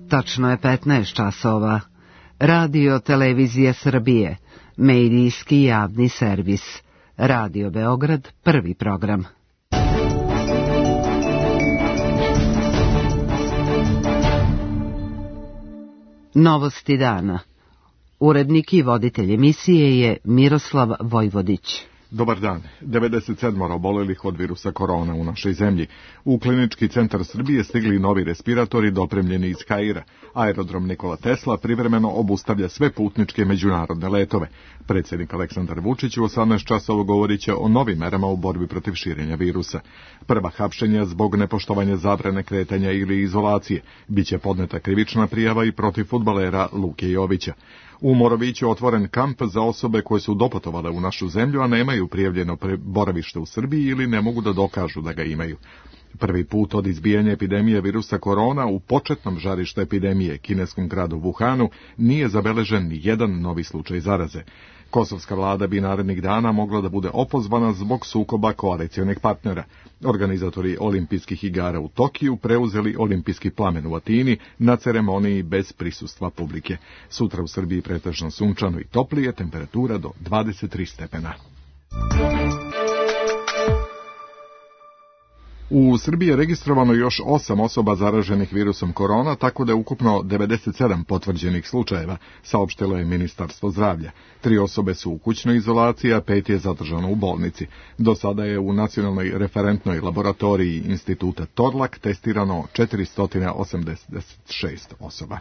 Tačno je 15 časova. Radio Televizija Srbije, medijski javni servis. Radio Beograd, prvi program. Novosti dana. Urednik i voditelj emisije je Miroslav Vojvodić. Dobar dan. 97 obolelih od virusa korona u našoj zemlji. U Klinički centar Srbije stigli novi respiratori dopremljeni iz Kaira. Aerodrom Nikola Tesla privremeno obustavlja sve putničke međunarodne letove. Predsjednik Aleksandar Vučić u 18 časova govorit će o novim merama u borbi protiv širenja virusa. Prva hapšenja zbog nepoštovanja zabrane kretanja ili izolacije. Biće podneta krivična prijava i protiv fudbalera Luke Jovića. U Moroviću otvoren kamp za osobe koje su doputovale u našu zemlju, a nemaju prijavljeno boravište u Srbiji ili ne mogu da dokažu da ga imaju. Prvi put od izbijanja epidemije virusa korona u početnom žarištu epidemije, kineskom gradu Wuhanu, nije zabeležen ni jedan novi slučaj zaraze. Kosovska vlada bi narednih dana mogla da bude opozvana zbog sukoba koalicionih partnera. Organizatori olimpijskih igara u Tokiju preuzeli olimpijski plamen u Atini na ceremoniji bez prisustva publike. Sutra u Srbiji pretežno sunčano i toplije, temperatura do 23 stepena. U Srbiji je registrovano još 8 osoba zaraženih virusom korona, tako da je ukupno 97 potvrđenih slučajeva, saopštilo je Ministarstvo zdravlja. 3 osobe su u kućnoj izolaciji, a 5 je zadržano u bolnici. Do sada je u nacionalnoj referentnoj laboratoriji Instituta Torlak testirano 486 osoba.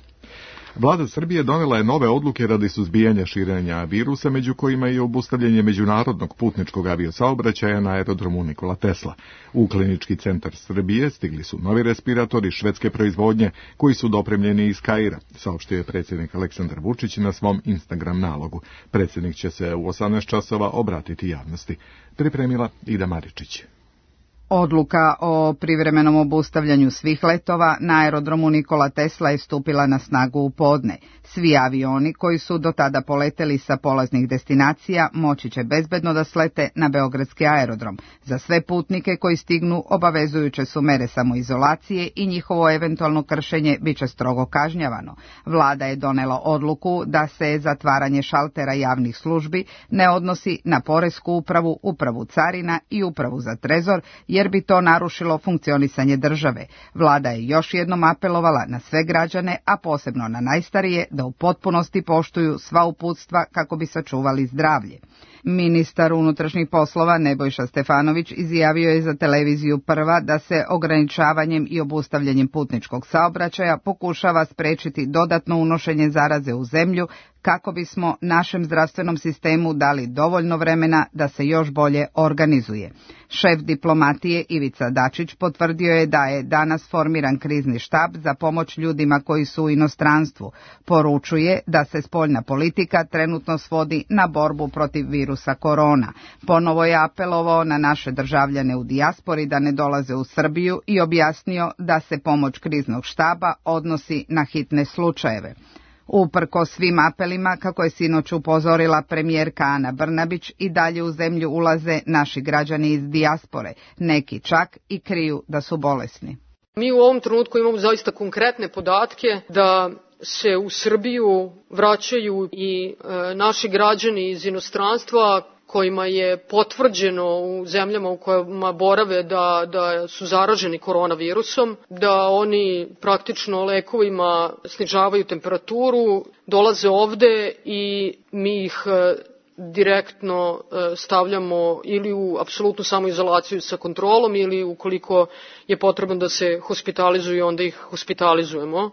Vlada Srbije donela je nove odluke radi suzbijanja širenja virusa, među kojima je obustavljanje međunarodnog putničkog aviosaobraćaja na aerodromu Nikola Tesla. U Klinički centar Srbije stigli su novi respiratori švedske proizvodnje koji su dopremljeni iz Kaira, saopštio je predsjednik Aleksandar Vučić na svom Instagram nalogu. Predsjednik će se u 18 časova obratiti javnosti. Pripremila Ida Maričić. Odluka o privremenom obustavljanju svih letova na aerodromu Nikola Tesla je stupila na snagu u podne. Svi avioni koji su do tada poleteli sa polaznih destinacija moći će bezbedno da slete na beogradski aerodrom. Za sve putnike koji stignu obavezujuće su mere samoizolacije i njihovo eventualno kršenje biće strogo kažnjavano. Vlada je donela odluku da se zatvaranje šaltera javnih službi ne odnosi na poresku upravu, upravu carina i upravu za trezor, jer bi to narušilo funkcionisanje države. Vlada je još jednom apelovala na sve građane, a posebno na najstarije, da u potpunosti poštuju sva uputstva kako bi sačuvali zdravlje. Ministar unutrašnjih poslova Nebojša Stefanović izjavio je za televiziju Prva da se ograničavanjem i obustavljanjem putničkog saobraćaja pokušava sprečiti dodatno unošenje zaraze u zemlju kako bismo našem zdravstvenom sistemu dali dovoljno vremena da se još bolje organizuje. Šef diplomatije Ivica Dačić potvrdio je da je danas formiran krizni štab za pomoć ljudima koji su u inostranstvu. Poručuje da se spoljna politika trenutno svodi na borbu protiv virusa korona. Ponovo je apelovao na naše državljane u dijaspori da ne dolaze u Srbiju i objasnio da se pomoć kriznog štaba odnosi na hitne slučajeve. Uprkos svim apelima, kako je sinoć upozorila premijerka Ana Brnabić, i dalje u zemlju ulaze naši građani iz dijaspore, neki čak i kriju da su bolesni. Mi u ovom trenutku imamo zaista konkretne podatke da se u Srbiju vraćaju i naši građani iz inostranstva kojima je potvrđeno u zemljama u kojima borave da su zaraženi koronavirusom, da oni praktično lekovima snižavaju temperaturu, dolaze ovde i mi ih direktno stavljamo ili u apsolutnu samoizolaciju sa kontrolom ili ukoliko je potrebno da se hospitalizuju, onda ih hospitalizujemo.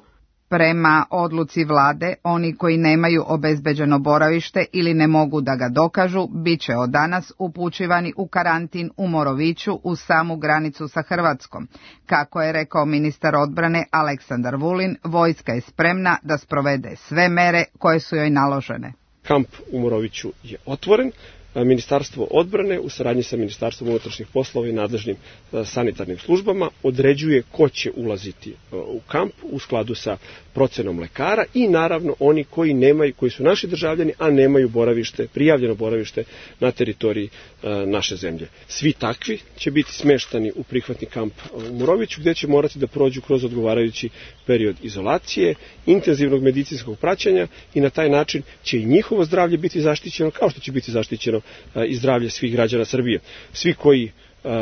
Prema odluci vlade, oni koji nemaju obezbeđeno boravište ili ne mogu da ga dokažu, bit će od danas upućivani u karantin u Moroviću uz samu granicu sa Hrvatskom. Kako je rekao ministar odbrane Aleksandar Vulin, vojska je spremna da sprovede sve mere koje su joj naložene. Kamp u Moroviću je otvoren, Ministarstvo odbrane u saradnji sa Ministarstvom unutrašnjih poslova i nadležnim sanitarnim službama određuje ko će ulaziti u kamp u skladu sa procenom lekara i naravno oni koji su naši državljani, a nemaju prijavljeno boravište na teritoriji naše zemlje. Svi takvi će biti smeštani u prihvatni kamp u Moroviću, gde će morati da prođu kroz odgovarajući period izolacije, intenzivnog medicinskog praćenja i na taj način će i njihovo zdravlje biti zaštićeno, kao što će biti zaštićeno i zdravlje svih građana Srbije. Svi koji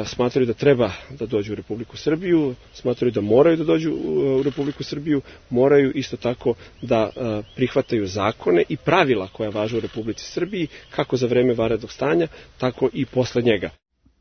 smatraju da treba da dođu u Republiku Srbiju, smatraju da moraju da dođu u Republiku Srbiju, moraju isto tako da prihvataju zakone i pravila koja važe u Republici Srbiji, kako za vreme vanrednog stanja, tako i posle njega.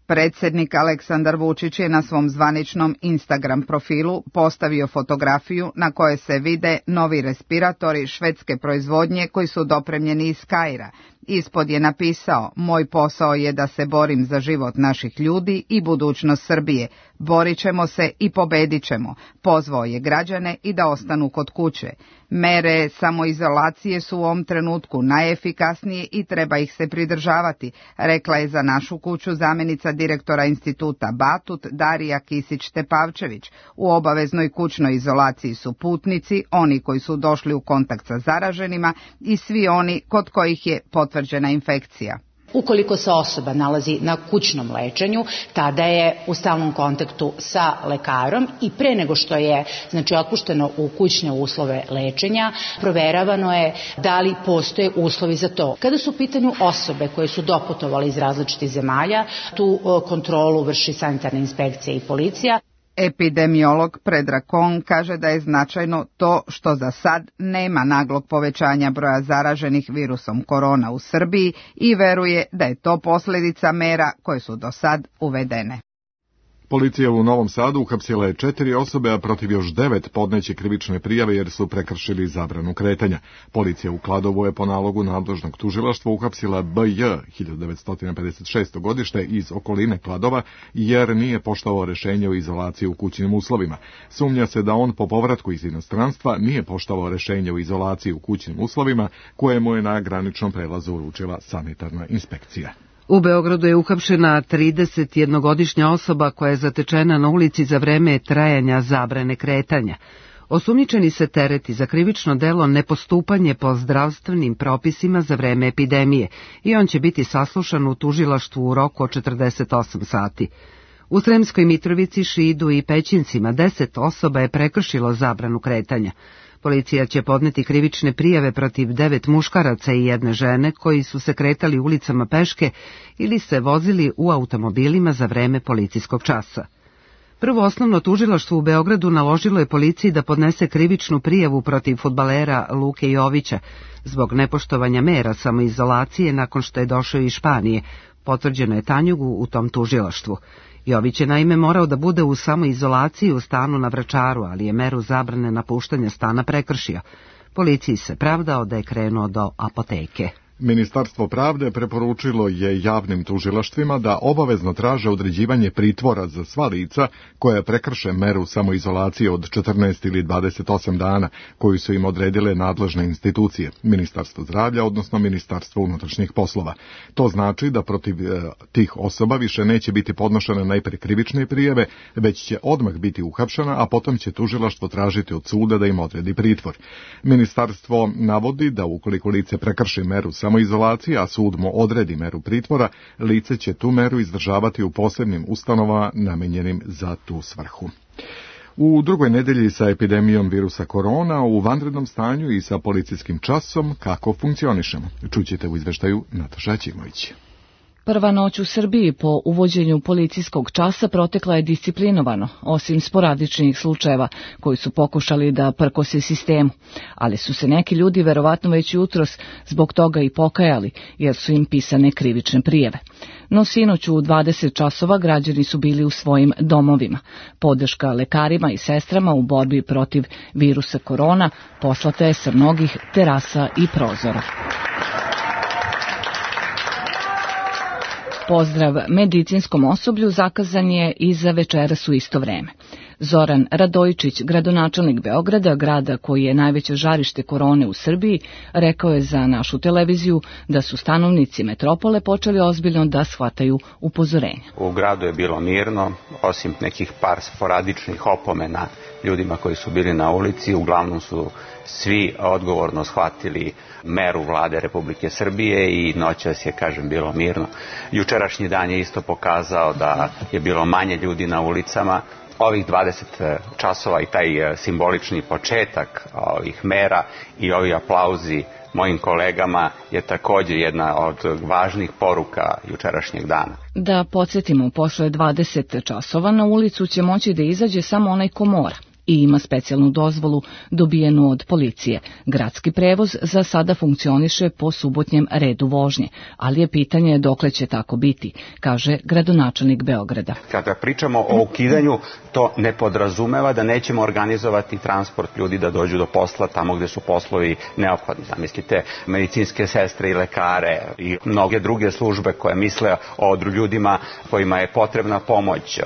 Predsjednik Aleksandar Vučić je na svom zvaničnom Instagram profilu postavio fotografiju na kojoj se vide novi respiratori švedske proizvodnje koji su dopremljeni iz Kaira. Ispod je napisao: "Moj posao je da se borim za život naših ljudi i budućnost Srbije. Borit ćemo se i pobedit ćemo." Pozvao je građane i da ostanu kod kuće. Mere samoizolacije su u ovom trenutku najefikasnije i treba ih se pridržavati, rekla je za Našu kuću zamjenica direktora instituta Batut Darija Kisić-Tepavčević. U obaveznoj kućnoj izolaciji su putnici, oni koji su došli u kontakt sa zaraženima i svi oni kod kojih je potvrđena infekcija. Ukoliko se osoba nalazi na kućnom lečenju, tada je u stalnom kontaktu sa lekarom i pre nego što je otpušteno u kućne uslove lečenja, proveravano je da li postoje uslovi za to. Kada su u pitanju osobe koje su doputovale iz različitih zemalja, tu kontrolu vrši sanitarna inspekcija i policija. Epidemiolog Predrag Kon kaže da je značajno to što za sad nema naglog povećanja broja zaraženih virusom korona u Srbiji i veruje da je to posljedica mera koje su do sad uvedene. Policija u Novom Sadu uhapsila je 4 osobe, a protiv još 9 podneće krivične prijave jer su prekršili zabranu kretanja. Policija u Kladovu je po nalogu nadležnog tužilaštva uhapsila B.J. 1956. godište iz okoline Kladova jer nije poštovao rešenje o izolaciji u kućnim uslovima. Sumnja se da on po povratku iz inostranstva nije poštovao rešenje o izolaciji u kućnim uslovima koje mu je na graničnom prelazu uručila sanitarna inspekcija. U Beogradu je uhapšena 31-godišnja osoba koja je zatečena na ulici za vreme trajanja zabrane kretanja. Osumnjičeni se tereti za krivično delo nepostupanje po zdravstvenim propisima za vreme epidemije i on će biti saslušan u tužilaštvu u roku od 48 sati. U Sremskoj Mitrovici, Šidu i Pećincima 10 osoba je prekršilo zabranu kretanja. Policija će podneti krivične prijave protiv 9 muškaraca i 1 žene koji su se kretali ulicama peške ili se vozili u automobilima za vreme policijskog časa. Prvo osnovno tužilaštvo u Beogradu naložilo je policiji da podnese krivičnu prijavu protiv fudbalera Luke Jovića zbog nepoštovanja mera samoizolacije nakon što je došao iz Španije, potvrđeno je Tanjugu u tom tužilaštvu. Jović je naime morao da bude u samoizolaciji u stanu na Vračaru, ali je meru zabrane napuštanja stana prekršio. Policiji se pravdao da je krenuo do apoteke. Ministarstvo pravde preporučilo je javnim tužilaštvima da obavezno traže određivanje pritvora za sva lica koja prekrše meru samoizolacije od 14 ili 28 dana koju su im odredile nadležne institucije, Ministarstvo zdravlja, odnosno Ministarstvo unutrašnjih poslova. To znači da protiv tih osoba više neće biti podnošene najpre krivične prijave, već će odmah biti uhapšena, a potom će tužilaštvo tražiti od suda da im odredi pritvor. Ministarstvo navodi da ukoliko lice prekrši meru samoizolacije, a sud mu odredi meru pritvora, lice će tu meru izdržavati u posebnim ustanovama namenjenim za tu svrhu. U drugoj nedelji sa epidemijom virusa korona, u vanrednom stanju i sa policijskim časom, kako funkcionišemo? Čućete u izveštaju Nataša Ćimović. Prva noć u Srbiji po uvođenju policijskog časa protekla je disciplinovano, osim sporadičnih slučajeva koji su pokušali da prkose sistemu, ali su se neki ljudi verovatno već jutros zbog toga i pokajali, jer su im pisane krivične prijave. No sinoć u 20 časova građani su bili u svojim domovima. Podrška lekarima i sestrama u borbi protiv virusa korona poslata je sa mnogih terasa i prozora. Pozdrav medicinskom osoblju zakazan je i za večeras u isto vreme. Zoran Radojičić, gradonačelnik Beograda, grada koji je najveće žarište korone u Srbiji, rekao je za našu televiziju da su stanovnici metropole počeli ozbiljno da shvataju upozorenja. U gradu je bilo mirno, osim nekih par sporadičnih opomena ljudima koji su bili na ulici. Uglavnom su svi odgovorno shvatili meru vlade Republike Srbije i noćas je, kažem, bilo mirno. Jučerašnji dan je isto pokazao da je bilo manje ljudi na ulicama. Ovih 20 časova i taj simbolični početak ovih mera i ovi aplauzi mojim kolegama je također jedna od važnih poruka jučerašnjeg dana. Da podsjetimo, posle 20 časova na ulicu će moći da izađe samo onaj ko mora i ima specijalnu dozvolu dobijenu od policije. Gradski prevoz za sada funkcioniše po subotnjem redu vožnje, ali je pitanje dokle će tako biti, kaže gradonačelnik Beograda. Kada pričamo o ukidanju, to ne podrazumeva da nećemo organizovati transport ljudi da dođu do posla tamo gde su poslovi neophodni. Zamislite medicinske sestre i lekare i mnoge druge službe koje misle o ljudima kojima je potrebna pomoć.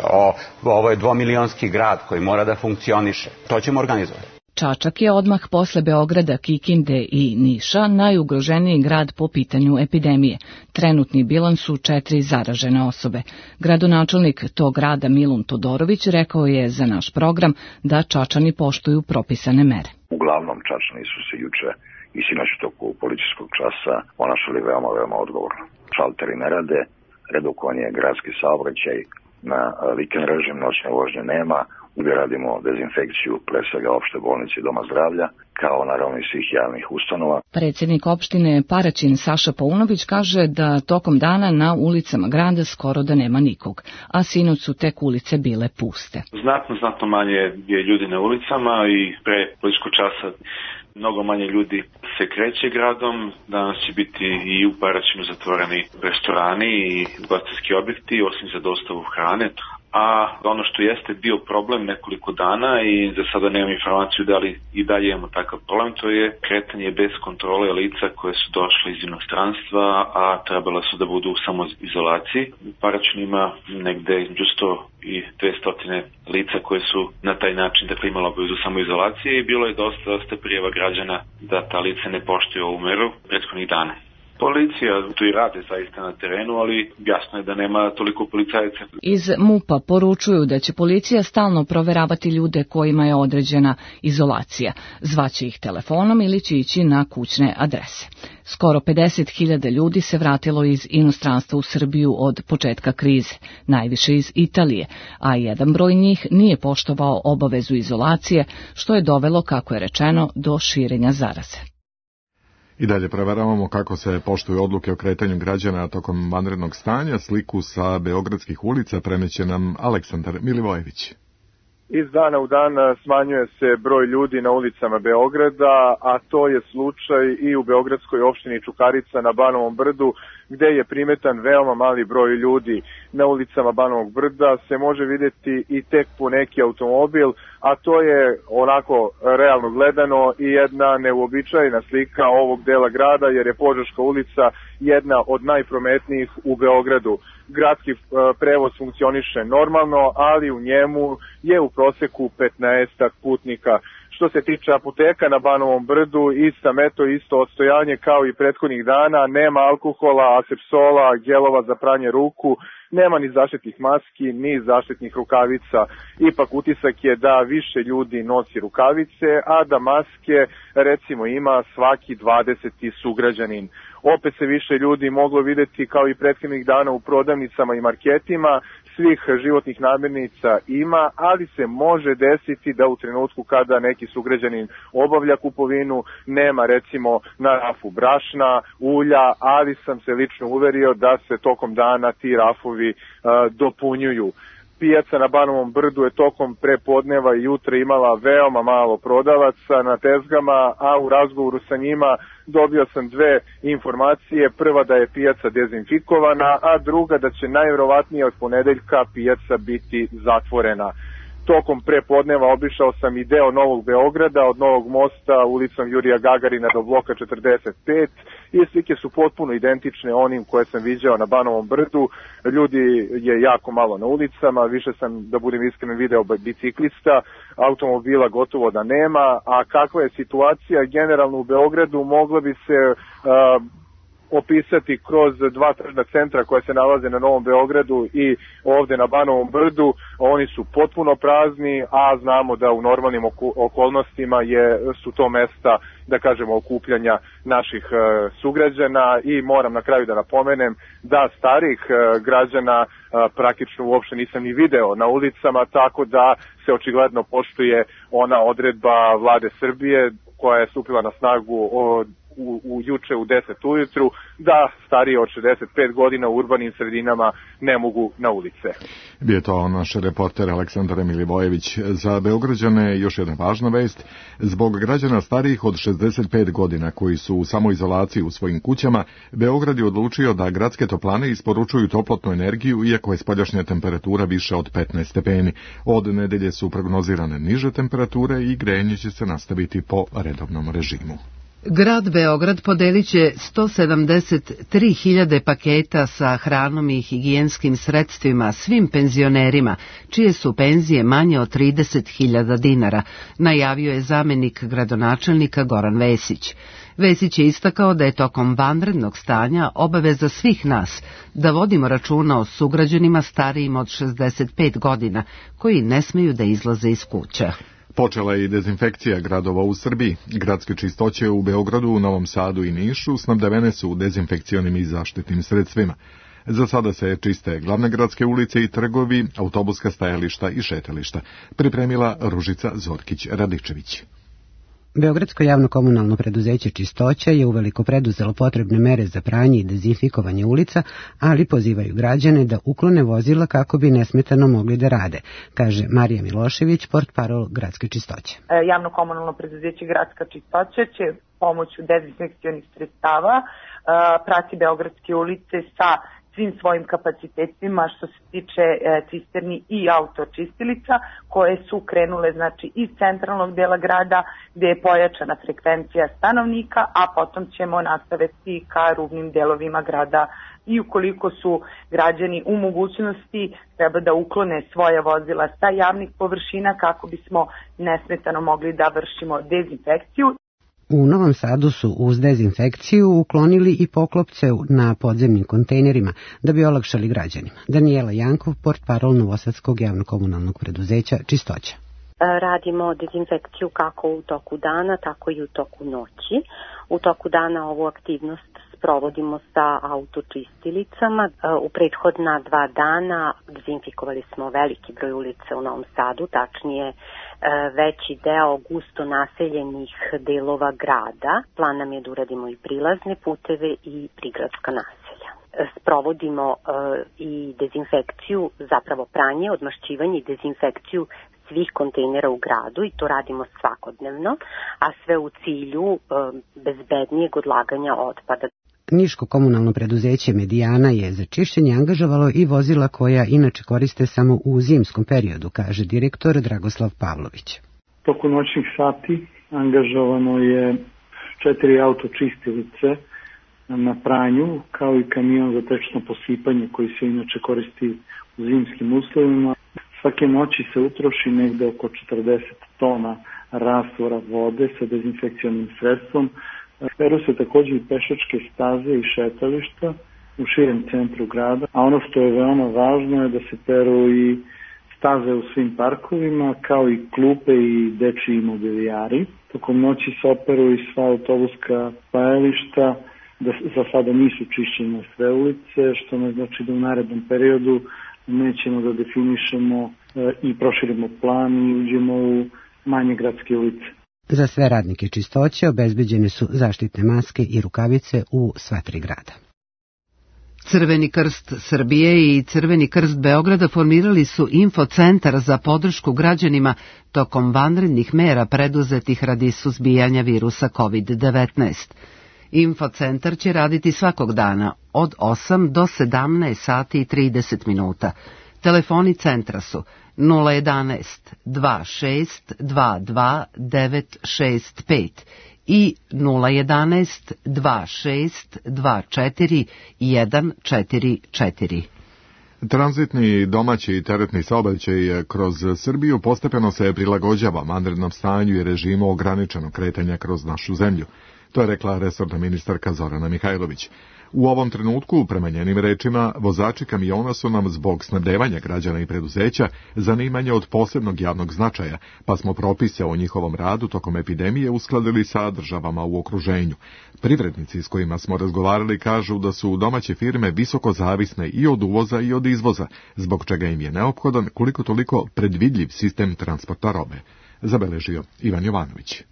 Ovo je 2-milionski grad koji mora da funkcioniše. To ćemo organizovati. Čačak je odmah posle Beograda, Kikinde i Niša najugroženiji grad po pitanju epidemije. Trenutni bilans su 4 zaražene osobe. Gradonačelnik tog grada Milun Todorović rekao je za naš program da Čačani poštuju propisane mere. Uglavnom Čačani su se juče i sinoć u toku policijskog časa ponašali veoma odgovorno. Šalteri ne rade, redukovan je gradski saobraćaj, na vikend režim noćne vožnje nema. Gdje radimo dezinfekciju pre svega opšte bolnice i doma zdravlja, kao naravno i svih javnih ustanova. Predsjednik opštine Paraćin Saša Paunović kaže da tokom dana na ulicama grada skoro da nema nikog, a sinoć su tek ulice bile puste. Znatno manje je ljudi na ulicama i pre policijskog časa mnogo manje ljudi se kreće gradom. Danas će biti i u Paraćinu zatvoreni restorani i ugostiteljski objekti, osim za dostavu hrane. A ono što jeste bio problem nekoliko dana i za sada nemam informaciju da li i dalje imamo takav problem, to je kretanje bez kontrole lica koje su došle iz inostranstva, a trebala su da budu u samoizolaciji. U Paraćinu ima negde među 100 i 200 lica koje su na taj način imala obavezu samoizolacije i bilo je dosta prijava građana da ta lica ne poštuju ovu meru prethodnih dana. Policija tu i rade zaista na terenu, ali jasno je da nema toliko policajaca. Iz MUP-a poručuju da će policija stalno proveravati ljude kojima je određena izolacija. Zvaće ih telefonom ili će ići na kućne adrese. Skoro 50.000 ljudi se vratilo iz inostranstva u Srbiju od početka krize, najviše iz Italije, a jedan broj njih nije poštovao obavezu izolacije, što je dovelo, kako je rečeno, do širenja zaraze. I dalje preveravamo kako se poštuju odluke o kretanju građana tokom vanrednog stanja. Sliku sa beogradskih ulica preneće nam Aleksandar Milivojević. Iz dana u dan smanjuje se broj ljudi na ulicama Beograda, a to je slučaj i u beogradskoj opštini Čukarica na Banovom brdu, gde je primetan veoma mali broj ljudi. Na ulicama Banovog brda se može vidjeti i tek po neki automobil, a to je onako realno gledano i jedna neuobičajena slika ovog dela grada, jer je Požeška ulica jedna od najprometnijih u Beogradu. Gradski prevoz funkcioniše normalno, ali u njemu je u proseku 15 putnika. Što se tiče apoteka na Banovom brdu, isto odstojanje kao i prethodnih dana, nema alkohola, asepsola, gelova za pranje ruku, nema ni zaštitnih maski, ni zaštitnih rukavica. Ipak utisak je da više ljudi nosi rukavice, a da maske recimo ima svaki 20. sugrađanin. Opet se više ljudi moglo vidjeti kao i prethodnih dana u prodavnicama i marketima, svih životnih namirnica ima, ali se može desiti da u trenutku kada neki sugrađanin obavlja kupovinu nema recimo na rafu brašna, ulja, ali sam se lično uverio da se tokom dana ti rafovi dopunjuju. Pijaca na Banovom brdu je tokom prepodneva i jutra imala veoma malo prodavaca na tezgama, a u razgovoru sa njima dobio sam dve informacije. Prva da je pijaca dezinfikovana, a druga da će najvjerovatnije od ponedeljka pijaca biti zatvorena. Tokom prepodneva obišao sam i deo Novog Beograda, od Novog mosta ulicom Jurija Gagarina do bloka 45, i slike su potpuno identične onim koje sam viđao na Banovom brdu. Ljudi je jako malo na ulicama, više sam, da budem iskren, video biciklista, automobila gotovo da nema, a kakva je situacija generalno u Beogradu mogla bi se opisati kroz dva tržna centra koja se nalaze na Novom Beogradu i ovde na Banovom brdu. Oni su potpuno prazni, a znamo da u normalnim okolnostima su to mesta, da kažemo, okupljanja naših sugrađana i moram na kraju da napomenem da starih građana praktično uopšte nisam ni video na ulicama, tako da se očigledno poštuje ona odredba Vlade Srbije koja je stupila na snagu juče u 10 ujutru, da stariji od 65 godina u urbanim sredinama ne mogu na ulice. Bio to naš reporter Aleksandar Milivojević. Za Beograđane još jedna važna vest. Zbog građana starijih od 65 godina koji su u samoizolaciji u svojim kućama, Beograd je odlučio da gradske toplane isporučuju toplotnu energiju, iako je spoljašnja temperatura više od 15 stepeni. Od nedelje su prognozirane niže temperature i grejanje će se nastaviti po redovnom režimu. Grad Beograd podelit će 173.000 paketa sa hranom i higijenskim sredstvima svim penzionerima, čije su penzije manje od 30.000 dinara, najavio je zamenik gradonačelnika Goran Vesić. Vesić je istakao da je tokom vanrednog stanja obaveza svih nas da vodimo računa o sugrađanima starijim od 65 godina, koji ne smeju da izlaze iz kuća. Počela je i dezinfekcija gradova u Srbiji. Gradske čistoće u Beogradu, u Novom Sadu i Nišu snabdevene su dezinfekcionim i zaštitnim sredstvima. Za sada se čiste glavne gradske ulice i trgovi, autobuska stajališta i šetališta. Pripremila Ružica Zorkić-Radičević. Beogradsko javno komunalno preduzeće Čistoća je uveliko preduzelo potrebne mere za pranje i dezinfikovanje ulica, ali pozivaju građane da uklone vozila kako bi nesmetano mogli da rade, kaže Marija Milošević, portparol Gradske Čistoće. Javno komunalno preduzeće Gradska Čistoća će pomoću dezinfekcionih sredstava prati beogradske ulice sa svim svojim kapacitetima što se tiče cisterni i autočistilica koje su krenule znači iz centralnog dela grada gde je pojačana frekvencija stanovnika, a potom ćemo nastaviti ka rubnim delovima grada i ukoliko su građani u mogućnosti treba da uklone svoja vozila sa javnih površina kako bismo nesmetano mogli da vršimo dezinfekciju. U Novom Sadu su uz dezinfekciju uklonili i poklopce na podzemnim kontejnerima da bi olakšali građanima. Daniela Jankov, portparol Novosadskog javno-komunalnog preduzeća Čistoća. Radimo dezinfekciju kako u toku dana, tako i u toku noći. U toku dana ovu aktivnost sprovodimo sa autočistilicama. U prethodna 2 dana dezinfikovali smo veliki broj ulica u Novom Sadu, tačnije veći deo gusto naseljenih delova grada. Plan nam je da uradimo i prilazne puteve i prigradska naselja. Sprovodimo i dezinfekciju, zapravo pranje, odmašćivanje i dezinfekciju svih kontejnera u gradu i to radimo svakodnevno, a sve u cilju bezbednijeg odlaganja otpada. Niško komunalno preduzeće Medijana je za čišćenje angažovalo i vozila koja inače koriste samo u zimskom periodu, kaže direktor Dragoslav Pavlović. Toku noćnih sati angažovano je 4 autočistilice na pranju, kao i kamion za tečno posipanje koji se inače koristi u zimskim uslovima. Svake noći se utroši negde oko 40 tona rastvora vode sa dezinfekcionim sredstvom. Peru se također i pešačke staze i šetališta u širem centru grada, a ono što je veoma važno je da se peru i staze u svim parkovima, kao i klupe i dečiji mobilijari. Tokom noći se operu i sva autobuska stajališta, da za sada nisu čišćene sve ulice, što ne znači da u narednom periodu nećemo da definišemo i proširimo plan i uđemo u manje gradske ulice. Za sve radnike Čistoće obezbeđene su zaštitne maske i rukavice u sva 3 grada. Crveni krst Srbije i Crveni krst Beograda formirali su infocentar za podršku građanima tokom vanrednih mera preduzetih radi suzbijanja virusa COVID-19. Infocentar će raditi svakog dana od 8 do 17 sati i 30 minuta. Telefoni centra su 011 26 22 965 i 011 26 24 144. Tranzitni domaći i teretni saobraćaj kroz Srbiju postepeno se prilagođava vanrednom stanju i režimu ograničenog kretanja kroz našu zemlju. To je rekla resorna ministarka Zorana Mihajlović. U ovom trenutku, prema njenim rečima, vozači kamiona su nam zbog snabdevanja građana i preduzeća zanimanje od posebnog javnog značaja, pa smo propise o njihovom radu tokom epidemije uskladili sa državama u okruženju. Privrednici s kojima smo razgovarali kažu da su domaće firme visoko zavisne i od uvoza i od izvoza, zbog čega im je neophodan koliko toliko predvidljiv sistem transporta robe, zabeležio Ivan Jovanović.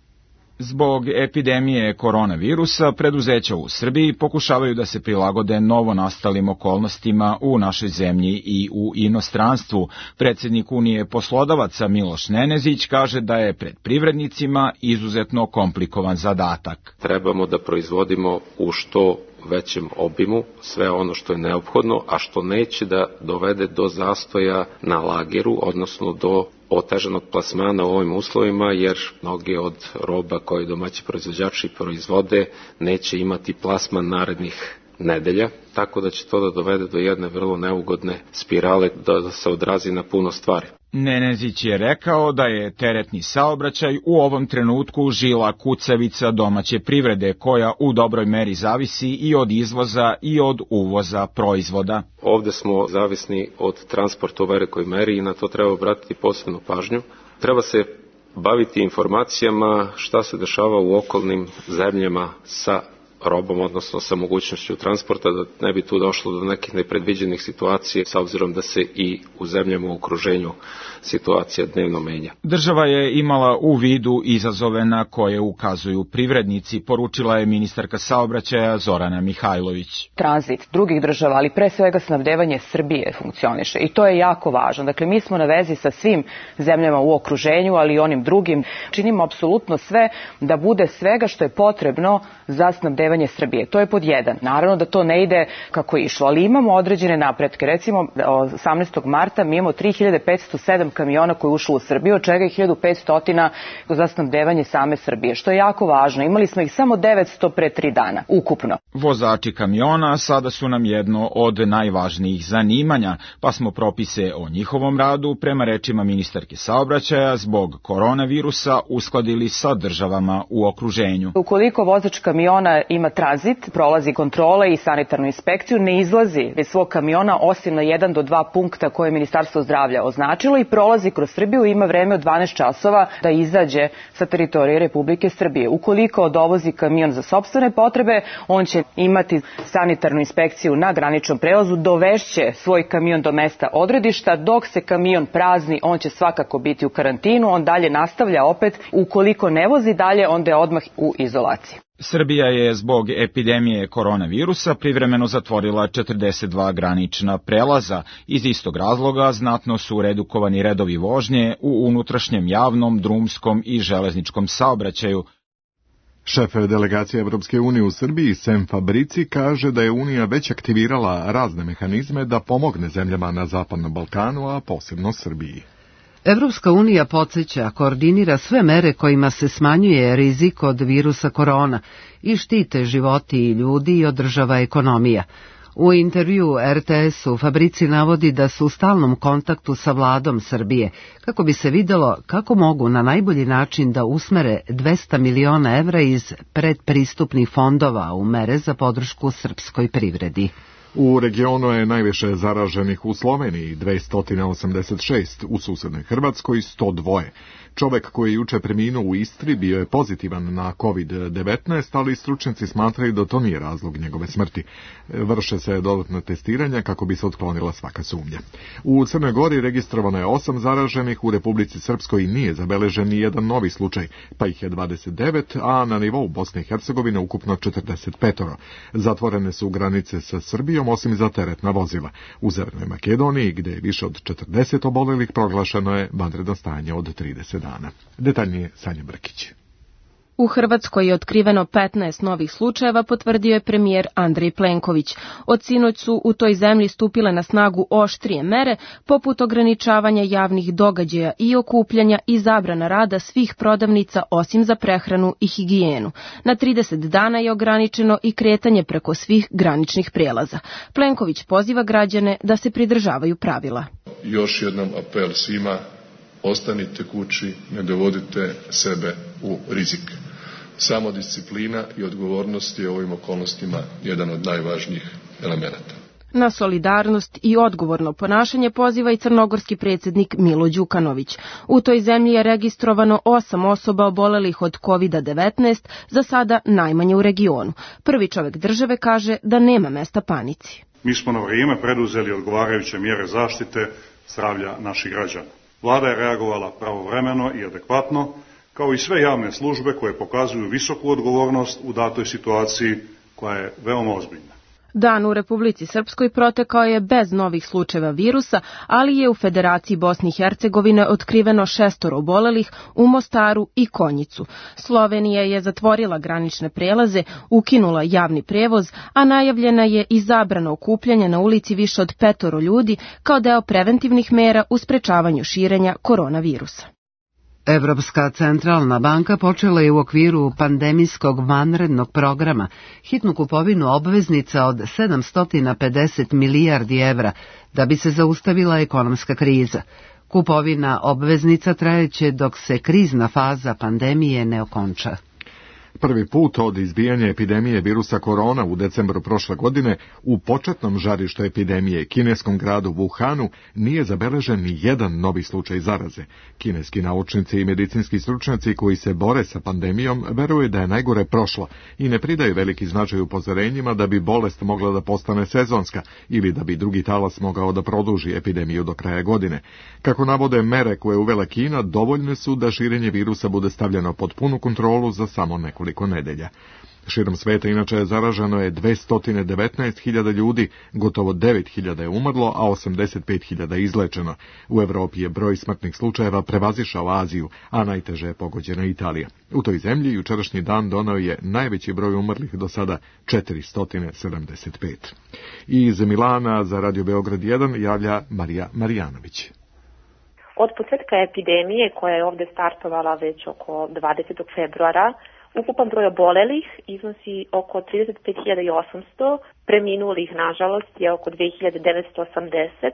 Zbog epidemije koronavirusa, preduzeća u Srbiji pokušavaju da se prilagode novonastalim okolnostima u našoj zemlji i u inostranstvu. Predsjednik Unije poslodavaca Miloš Nenezić kaže da je pred privrednicima izuzetno komplikovan zadatak. Trebamo da proizvodimo u što većem obimu sve ono što je neophodno, a što neće da dovede do zastoja na lageru, odnosno do otežanog plasmana u ovim uslovima, jer mnoge od roba koje domaći proizvođači proizvode neće imati plasman narednih nedelja, tako da će to da dovede do jedne vrlo neugodne spirale, da se odrazi na puno stvari. Nenezić je rekao da je teretni saobraćaj u ovom trenutku žila kucavica domaće privrede, koja u dobroj meri zavisi i od izvoza i od uvoza proizvoda. Ovde smo zavisni od transporta u velikoj meri i na to treba obratiti posebnu pažnju. Treba se baviti informacijama šta se dešava u okolnim zemljama sa robom, odnosno sa mogućnošću transporta, da ne bi tu došlo do nekih nepredviđenih situacija, s obzirom da se i u zemljama u okruženju situacija dnevno menja. Država je imala u vidu izazove na koje ukazuju privrednici, poručila je ministarka saobraćaja Zorana Mihajlović. Tranzit drugih država, ali pre svega snabdevanje Srbije funkcioniše i to je jako važno. Dakle, mi smo na vezi sa svim zemljama u okruženju, ali i onim drugim. Činimo apsolutno sve da bude svega što je potrebno za snabdevanje Srbije. To je pod jedan. Naravno da to ne ide kako je išlo, ali imamo određene napretke. Recimo, 18. marta mi imamo 3507 kamiona koji ušlo u Srbiju, od čega je 1500 za snabdevanje same Srbije, što je jako važno. Imali smo ih samo 900 pre 3 dana, ukupno. Vozači kamiona sada su nam jedno od najvažnijih zanimanja, pa smo propise o njihovom radu, prema rečima ministarke saobraćaja, zbog koronavirusa uskladili sa državama u okruženju. Ukoliko vozač kamiona ima tranzit, prolazi kontrole i sanitarnu inspekciju, ne izlazi iz svog kamiona osim na 1 do 2 punkta koje je Ministarstvo zdravlja označilo i prolazi kroz Srbiju, ima vreme od 12 časova da izađe sa teritorije Republike Srbije. Ukoliko dovozi kamion za sopstvene potrebe, on će imati sanitarnu inspekciju na graničnom prelazu, dovešće svoj kamion do mesta odredišta, dok se kamion prazni, on će svakako biti u karantinu, on dalje nastavlja opet, ukoliko ne vozi dalje, onda je odmah u izolaciji. Srbija je zbog epidemije koronavirusa privremeno zatvorila 42 granična prelaza. Iz istog razloga znatno su redukovani redovi vožnje u unutrašnjem javnom, drumskom i železničkom saobraćaju. Šef delegacije Evropske unije u Srbiji, Sem Fabrici, kaže da je Unija već aktivirala razne mehanizme da pomogne zemljama na Zapadnom Balkanu, a posebno Srbiji. Evropska unija podsjeća, koordinira sve mere kojima se smanjuje rizik od virusa korona i štite životi i ljudi i održava ekonomija. U intervju RTS-u Fabrici navodi da su u stalnom kontaktu sa vladom Srbije, kako bi se videlo kako mogu na najbolji način da usmere 200 miliona evra iz predpristupnih fondova u mere za podršku srpskoj privredi. U regionu je najviše zaraženih u Sloveniji, 286, u susednoj Hrvatskoj 102. Čovek koji je juče preminuo u Istri bio je pozitivan na COVID-19, ali stručnjaci smatraju da to nije razlog njegove smrti. Vrše se dodatna testiranja kako bi se otklonila svaka sumnja. U Crnoj Gori registrovano je 8 zaraženih, u Republici Srpskoj nije zabeležen ni jedan novi slučaj, pa ih je 29, a na nivou Bosne i Hercegovine ukupno 45. Zatvorene su granice sa Srbijom, osim za teretna vozila. U Severnoj Makedoniji, gde je više od 40 obolelih, proglašeno je vanredno stanje od 30 dana. Detaljnije Sanja Brkić. U Hrvatskoj je otkriveno 15 novih slučajeva, potvrdio je premijer Andrej Plenković. Od sinoć su u toj zemlji stupile na snagu oštrije mere, poput ograničavanja javnih događaja i okupljanja i zabrana rada svih prodavnica osim za prehranu i higijenu. Na 30 dana je ograničeno i kretanje preko svih graničnih prijelaza. Plenković poziva građane da se pridržavaju pravila. Još jednom apel svima, ostanite kući, ne dovodite sebe u rizik. Samodisciplina i odgovornost je u ovim okolnostima jedan od najvažnijih elemenata. Na solidarnost i odgovorno ponašanje poziva i crnogorski predsjednik Milo Đukanović. U toj zemlji je registrovano 8 osoba obolelih od COVID-19, za sada najmanje u regionu. Prvi čovjek države kaže da nema mesta panici. Mi smo na vrijeme preduzeli odgovarajuće mjere zaštite zdravlja naših građana. Vlada je reagovala pravovremeno i adekvatno, kao i sve javne službe koje pokazuju visoku odgovornost u datoj situaciji koja je veoma ozbiljna. Dan u Republici Srpskoj protekao je bez novih slučajeva virusa, ali je u Federaciji Bosne i Hercegovine otkriveno 6 obolelih u Mostaru i Konjicu. Slovenija je zatvorila granične prelaze, ukinula javni prevoz, a najavljena je i zabrana okupljanja na ulici više od 5 ljudi kao deo preventivnih mera u sprečavanju širenja koronavirusa. Evropska centralna banka počela je u okviru pandemijskog vanrednog programa hitnu kupovinu obveznica od 750 milijardi evra da bi se zaustavila ekonomska kriza. Kupovina obveznica trajeće dok se krizna faza pandemije ne okonča. Prvi put od izbijanja epidemije virusa korona u decembru prošle godine u početnom žarištu epidemije kineskom gradu Wuhanu nije zabeležen ni jedan novi slučaj zaraze. Kineski naučnici i medicinski stručnjaci koji se bore sa pandemijom veruju da je najgore prošlo i ne pridaju veliki značaj upozorenjima da bi bolest mogla da postane sezonska ili da bi drugi talas mogao da produži epidemiju do kraja godine. Kako navode, mere koje uvela Kina dovoljne su da širenje virusa bude stavljeno pod punu kontrolu za samo nekoliko nedelja. Širom sveta inače je zaraženo je 219.000 ljudi, gotovo 9.000 je umrlo, a 85.000 izlečeno. U Evropi je broj smrtnih slučajeva prevazišao Aziju, a najteže je pogođena Italija. U toj zemlji jučerašnji dan doneo je najveći broj umrlih do sada 475. Iz Milana za Radio Beograd 1 javlja Marija Marijanović. Od početka epidemije, koja je ovdje startovala već oko 20. februara, ukupan broj obolelih iznosi oko 35.800, preminulih, nažalost, je oko 2.980.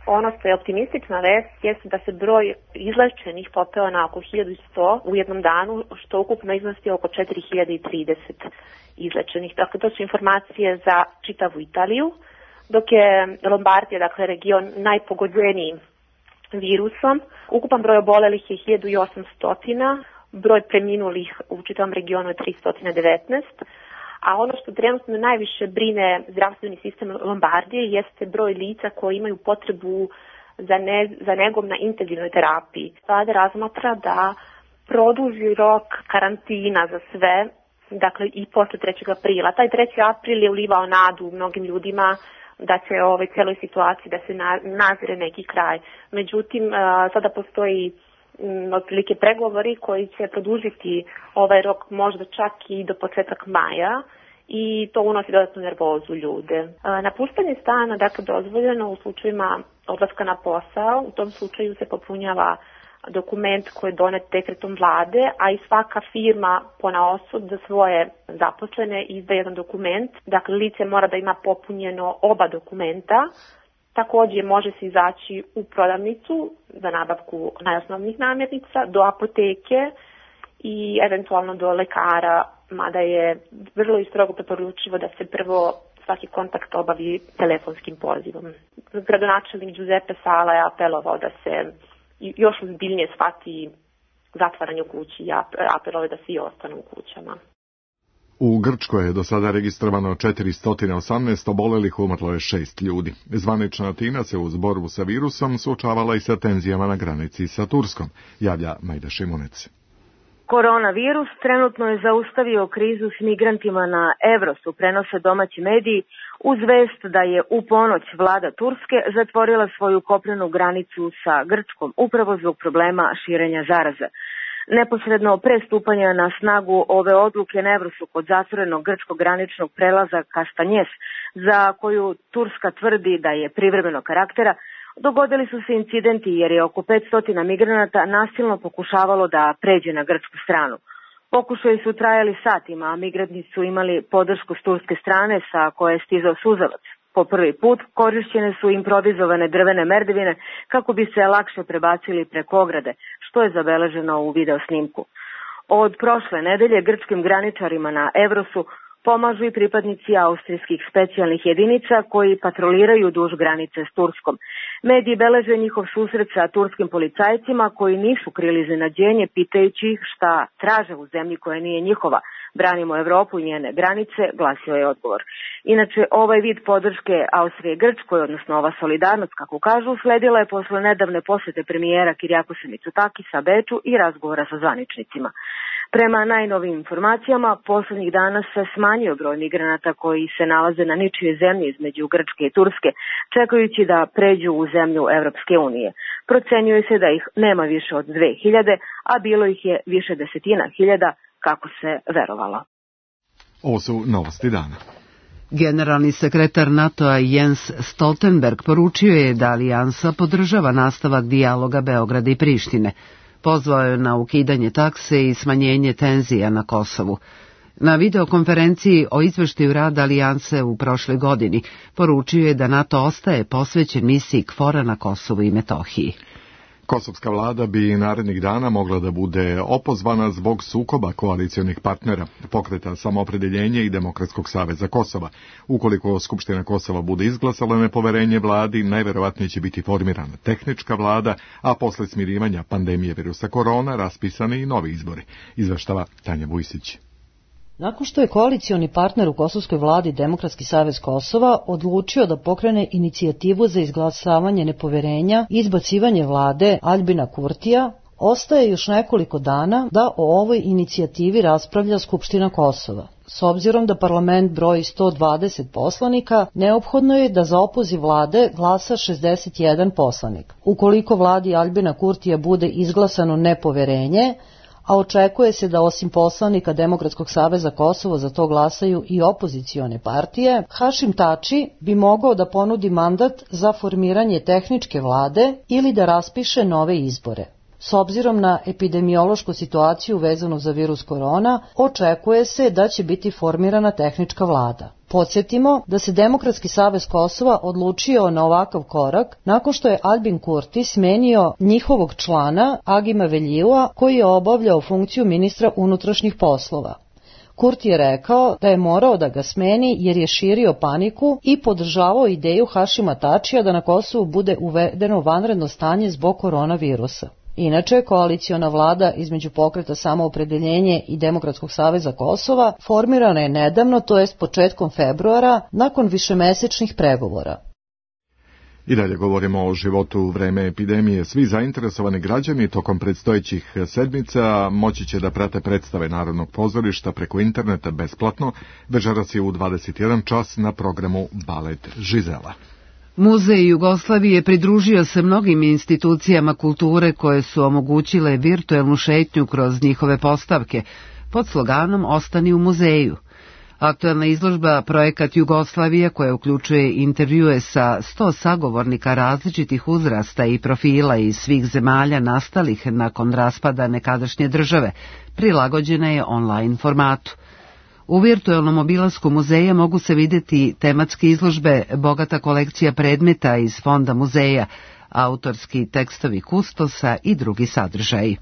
Ono što je optimistična vest jeste da se broj izlečenih popeo na oko 1.100 u jednom danu, što ukupno iznosi oko 4.030 izlečenih. Dakle, to su informacije za čitavu Italiju, dok je Lombardija, dakle region najpogođeniji virusom. Ukupan broj obolelih je 1.800, broj preminulih u čitavom regionu je 319, a ono što trenutno najviše brine zdravstveni sistem Lombardije jeste broj lica koji imaju potrebu za negom na intenzivnoj terapiji. Sada razmatra da produži rok karantina za sve, dakle i posle 3. aprila. Taj 3. april je ulivao nadu mnogim ljudima da će ovoj celoj situaciji da se nazire neki kraj. Međutim, sada postoji otprilike pregovori koji će produžiti ovaj rok možda čak i do početak maja i to unosi dodatnu nervozu ljude. Napuštanje stana, dakle, dozvoljeno u slučajima odlaska na posao. U tom slučaju se popunjava dokument koji je donet dekretom vlade, a i svaka firma ponaosob za svoje zaposlene izdaje jedan dokument. Dakle, lice mora da ima popunjeno oba dokumenta. Također može se izaći u prodavnicu za nabavku najosnovnijih namirnica, do apoteke i eventualno do lekara, mada je vrlo i strogo preporučivo da se prvo svaki kontakt obavi telefonskim pozivom. Gradonačelnik Giuseppe Sala je apelovao da se još ozbiljnije shvati zatvaranje u kući i apelove da svi ostanu u kućama. U Grčkoj je do sada registrovano 418 obolelih, umrlo je 6 ljudi. Zvanična Atina se uz borbu sa virusom suočavala i sa tenzijama na granici sa Turskom, javlja Majda Šimunec. Koronavirus trenutno je zaustavio krizu s migrantima na Evrosu, prenose domaći mediji, uz vest da je u ponoć vlada Turske zatvorila svoju kopnenu granicu sa Grčkom, upravo zbog problema širenja zaraze. Neposredno pre stupanja na snagu ove odluke na Evrosu kod zatvorenog grčkog graničnog prelaza Kastanjes, za koju Turska tvrdi da je privremenog karaktera, dogodili su se incidenti jer je oko 500 migranata nasilno pokušavalo da pređe na grčku stranu. Pokušaji su trajali satima, a migranti su imali podršku s turske strane sa koje je stizao suzavac. Po prvi put korišćene su improvizovane drvene merdevine kako bi se lakše prebacili preko ograde, što je zabeleženo u video snimku. Od prošle nedelje grčkim graničarima na Evrosu pomažu i pripadnici austrijskih specijalnih jedinica koji patroliraju duž granice s Turskom. Mediji beleže njihov susret sa turskim policajcima koji nisu krili iznenađenje pitajući ih šta traže u zemlji koja nije njihova. Branimo Evropu i njene granice, glasio je odgovor. Inače, ovaj vid podrške Austrije Grčkoj, odnosno ova solidarnost, kako kažu, sledila je posle nedavne posete premijera Kirijakose Mitsotakisa Beču i razgovora sa zvaničnicima. Prema najnovim informacijama, poslednjih dana se smanjio broj migranata koji se nalaze na ničijoj zemlji između Grčke i Turske, čekajući da pređu u zemlju Evropske unije. Procenjuje se da ih nema više od 2000, a bilo ih je više desetina hiljada, kako se verovalo. Ovo su novosti dana. Generalni sekretar NATO-a Jens Stoltenberg poručio je da alijansa podržava nastavak dijaloga Beograda i Prištine. Pozvao je na ukidanje takse i smanjenje tenzija na Kosovu. Na videokonferenciji o izveštaju rada alijanse u prošloj godini poručio je da NATO ostaje posvećen misiji KFOR-a na Kosovu i Metohiji. Kosovska vlada bi narednih dana mogla da bude opozvana zbog sukoba koalicijonih partnera, Pokreta Samoopredeljenje i Demokratskog saveza Kosova. Ukoliko Skupština Kosova bude izglasala nepoverenje vladi, najverovatnije će biti formirana tehnička vlada, a posle smirivanja pandemije virusa korona raspisani i novi izbori, izveštava Tanja Vujsić. Nakon što je koalicioni partner u kosovskoj vladi Demokratski savez Kosova odlučio da pokrene inicijativu za izglasavanje nepoverenja i izbacivanje vlade Aljbina Kurtija, ostaje još nekoliko dana da o ovoj inicijativi raspravlja Skupština Kosova. S obzirom da parlament broji 120 poslanika, neophodno je da za opoziv vlade glasa 61 poslanik. Ukoliko vladi Aljbina Kurtija bude izglasano nepoverenje, a očekuje se da osim poslanika Demokratskog saveza Kosovo za to glasaju i opozicione partije, Hašim Tači bi mogao da ponudi mandat za formiranje tehničke vlade ili da raspiše nove izbore. S obzirom na epidemiološku situaciju vezanu za virus korona, očekuje se da će biti formirana tehnička vlada. Podsjetimo da se Demokratski savez Kosova odlučio na ovakav korak nakon što je Aljbin Kurti smenio njihovog člana Agima Veljiua koji je obavljao funkciju ministra unutrašnjih poslova. Kurti je rekao da je morao da ga smeni jer je širio paniku i podržavao ideju Hašima Tačija da na Kosovu bude uvedeno vanredno stanje zbog koronavirusa. Inače, koaliciona vlada između Pokreta Samoopredeljenje i Demokratskog saveza Kosova formirana je nedavno, to jest početkom februara, nakon višemesečnih pregovora. I dalje govorimo o životu u vreme epidemije. Svi zainteresovani građani tokom predstojećih sedmica moći će da prate predstave Narodnog pozorišta preko interneta besplatno. Večeras je u 21 čas na programu Balet Žizela. Muzej Jugoslavije pridružio se mnogim institucijama kulture koje su omogućile virtuelnu šetnju kroz njihove postavke pod sloganom Ostani u muzeju. Aktuelna izložba Projekat Jugoslavija, koja uključuje intervjue sa 100 sagovornika različitih uzrasta i profila iz svih zemalja nastalih nakon raspada nekadašnje države, prilagođena je online formatu. U virtualnom obilasku muzeja mogu se vidjeti tematske izložbe, bogata kolekcija predmeta iz fonda muzeja, autorski tekstovi kustosa i drugi sadržaji.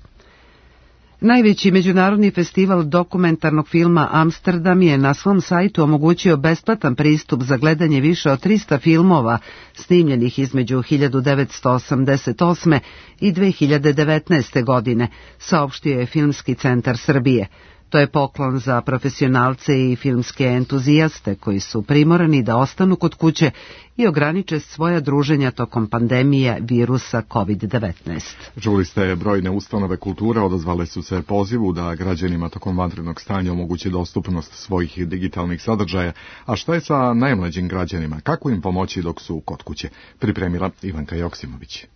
Najveći međunarodni festival dokumentarnog filma Amsterdam je na svom sajtu omogućio besplatan pristup za gledanje više od 300 filmova snimljenih između 1988. i 2019. godine, saopštio je Filmski centar Srbije. To je poklon za profesionalce i filmske entuzijaste koji su primorani da ostanu kod kuće i ograniče svoja druženja tokom pandemije virusa COVID-19. Čuli ste, brojne ustanove kulture odazvale su se pozivu da građanima tokom vanrednog stanja omogući dostupnost svojih digitalnih sadržaja. A šta je sa najmlađim građanima? Kako im pomoći dok su kod kuće? Pripremila Ivanka Joksimović.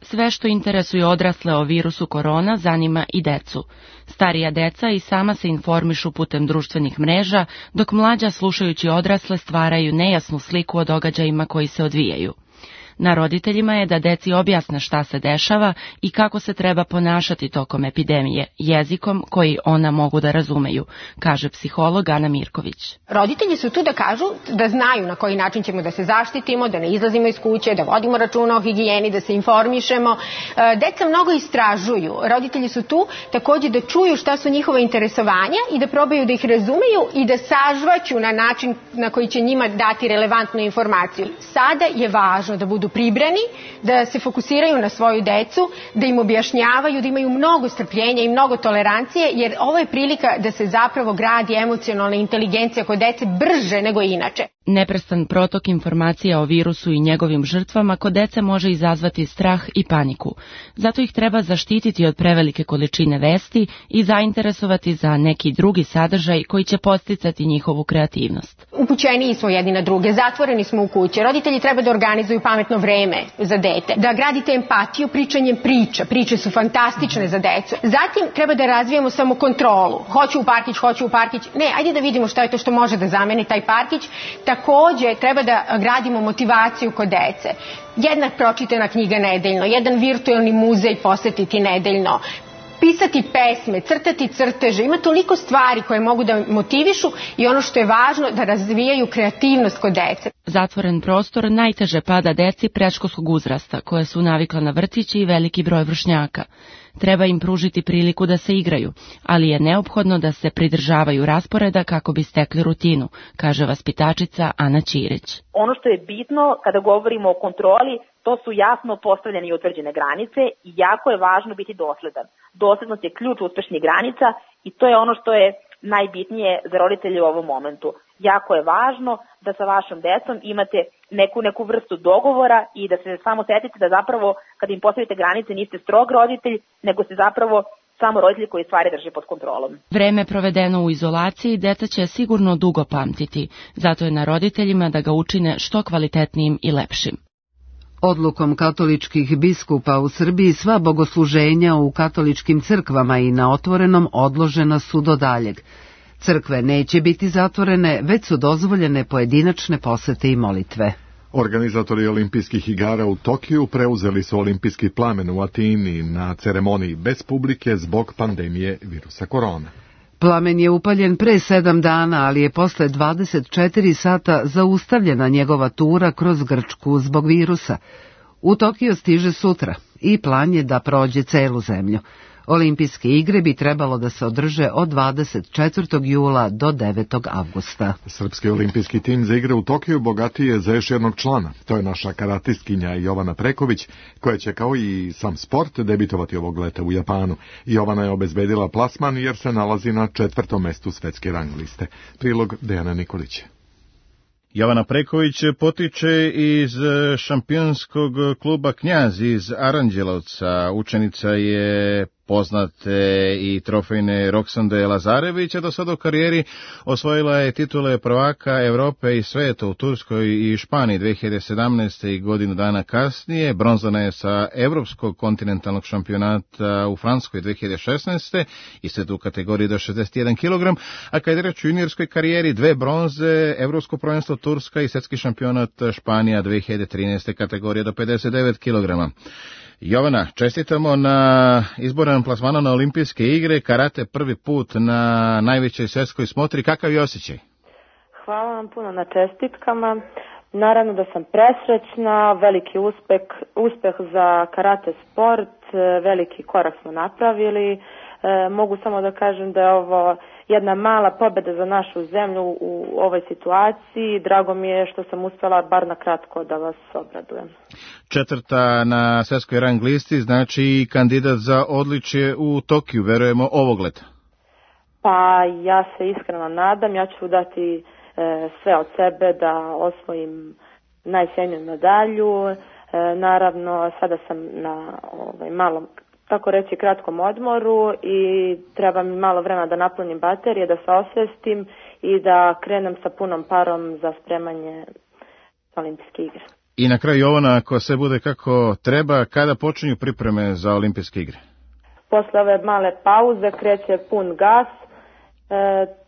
Sve što interesuje odrasle o virusu korona zanima i decu. Starija deca i sama se informišu putem društvenih mreža, dok mlađa slušajući odrasle stvaraju nejasnu sliku o događajima koji se odvijaju. Na roditeljima je da deci objasne šta se dešava i kako se treba ponašati tokom epidemije, jezikom koji ona mogu da razumeju, kaže psiholog Ana Mirković. Roditelji su tu da kažu, da znaju na koji način ćemo da se zaštitimo, da ne izlazimo iz kuće, da vodimo računa o higijeni, da se informišemo. Deca mnogo istražuju. Roditelji su tu također da čuju šta su njihova interesovanja i da probaju da ih razumeju i da sažvaću na način na koji će njima dati relevantnu informaciju. Sada je važno da budu pribrani, da se fokusiraju na svoju decu, da im objašnjavaju, da imaju mnogo strpljenja i mnogo tolerancije, jer ovo je prilika da se zapravo gradi emocionalna inteligencija kod dece brže nego inače. Neprestan protok informacija o virusu i njegovim žrtvama kod dece može izazvati strah i paniku. Zato ih treba zaštititi od prevelike količine vesti i zainteresovati za neki drugi sadržaj koji će podsticati njihovu kreativnost. Upućeniji smo jedni na druge, zatvoreni smo u kući. Roditelji treba da organizuju pametno vreme za dete, da gradite empatiju pričanjem priča. Priče su fantastične za decu. Zatim treba da razvijemo samokontrolu. Hoću u parkić. Ne, ajde da vidimo šta je to što može da zameni taj parkić. Također treba da gradimo motivaciju kod dece. Jedna pročitana knjiga nedeljno, jedan virtualni muzej posetiti nedeljno, pisati pesme, crtati crteže, ima toliko stvari koje mogu da motivišu i ono što je važno da razvijaju kreativnost kod dece. Zatvoren prostor najteže pada deci predškolskog uzrasta, koje su navikla na vrtići i veliki broj vršnjaka. Treba im pružiti priliku da se igraju, ali je neophodno da se pridržavaju rasporeda kako bi stekli rutinu, kaže vaspitačica Ana Ćirić. Ono što je bitno kada govorimo o kontroli, to su jasno postavljene i utvrđene granice i jako je važno biti dosledan. Doslednost je ključ uspešnih granica i to je ono što je najbitnije za roditelje u ovom momentu. Jako je važno da sa vašom decom imate neku vrstu dogovora i da se samo setite da zapravo kad im postavite granice niste strog roditelj, nego ste zapravo samo roditelj koji stvari drži pod kontrolom. Vreme provedeno u izolaciji deca će sigurno dugo pamtiti, zato je na roditeljima da ga učine što kvalitetnijim i lepšim. Odlukom katoličkih biskupa u Srbiji sva bogosluženja u katoličkim crkvama i na otvorenom odložena su do daljeg. Crkve neće biti zatvorene, već su dozvoljene pojedinačne posete i molitve. Organizatori olimpijskih igara u Tokiju preuzeli su olimpijski plamen u Atini na ceremoniji bez publike zbog pandemije virusa korona. Plamen je upaljen pre 7 dana, ali je posle 24 sata zaustavljena njegova tura kroz Grčku zbog virusa. U Tokio stiže sutra i plan je da prođe celu zemlju. Olimpijske igre bi trebalo da se održe od 24. jula do 9. avgusta. Srpski olimpijski tim za igre u Tokiju bogatiji je za još jednog člana. To je naša karatistkinja Jovana Preković, koja će kao i sam sport debitovati ovog leta u Japanu. Jovana je obezbedila plasman jer se nalazi na 4. mestu svetske rang liste. Prilog Dejana Nikolića. Jovana Preković potiče iz šampionskog kluba Knjaz iz Aranđelovca. Učenica je poznate i trofejne Roksande Lazarevića. Do sada u karijeri osvojila je titule prvaka Evrope i sveta u Turskoj i Španiji 2017. i godinu dana kasnije. Bronzana je sa Evropskog kontinentalnog šampionata u Francuskoj 2016. isto u kategoriji do 61 kg, a kad je reč u juniorskoj karijeri 2 bronze, Evropsko prvenstvo Turska i svetski šampionat Španija 2013. kategorije do 59 kg. Jovana, čestitamo na izborenom plasmanu na olimpijske igre, karate prvi put na najvećoj svjetskoj smotri. Kakav je osjećaj? Hvala vam puno na čestitkama. Naravno da sam presrećna, veliki uspeh za karate sport, veliki korak smo napravili. Mogu samo da kažem da je ovo jedna mala pobjeda za našu zemlju u ovoj situaciji. Drago mi je što sam uspjela bar na kratko da vas obradujem. 4. na svjetskoj rang listi, znači kandidat za odličje u Tokiju, verujemo ovog leta. Pa ja se iskreno nadam, ja ću dati sve od sebe da osvojim najsjajniju medalju. Naravno, sada sam na malom, tako reći, kratkom odmoru i treba mi malo vremena da napunim baterije, da se osvestim i da krenem sa punom parom za spremanje olimpijske igre. I na kraju, Jovana, ako sve bude kako treba, kada počinju pripreme za olimpijske igre? Posle ove male pauze kreće pun gas,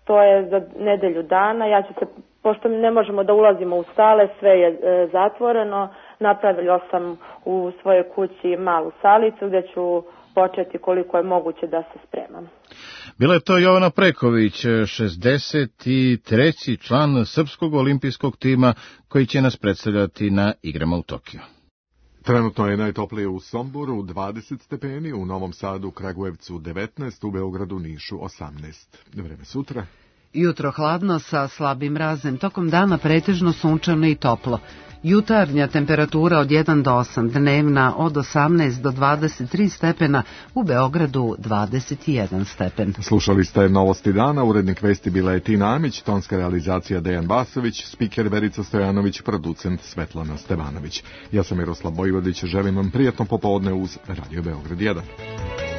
to je za nedelju dana. Ja ću se, pošto ne možemo da ulazimo u sale, sve je zatvoreno, napravila sam u svojoj kući malu salicu gde ću početi koliko je moguće da se spremam. Bila je to Jovana Preković, 63. član srpskog olimpijskog tima koji će nas predstavljati na igrama u Tokiju. Trenutno je najtoplije u Somboru 20 stepeni, u Novom Sadu, Kragujevcu 19, u Beogradu, Nišu 18. Vreme sutra. Jutro hladno sa slabim mrazem, tokom dana pretežno sunčano i toplo. Jutarnja temperatura od 1 do 8, dnevna od 18 do 23 stepena, u Beogradu 21 stepen. Slušali ste Novosti dana, urednik vesti bila je Tina Amić, tonska realizacija Dejan Basović, spiker Verica Stojanović, producent Svetlana Stevanović. Ja sam Miroslav Bojvodić, želim vam prijatno popodne uz Radio Beograd 1.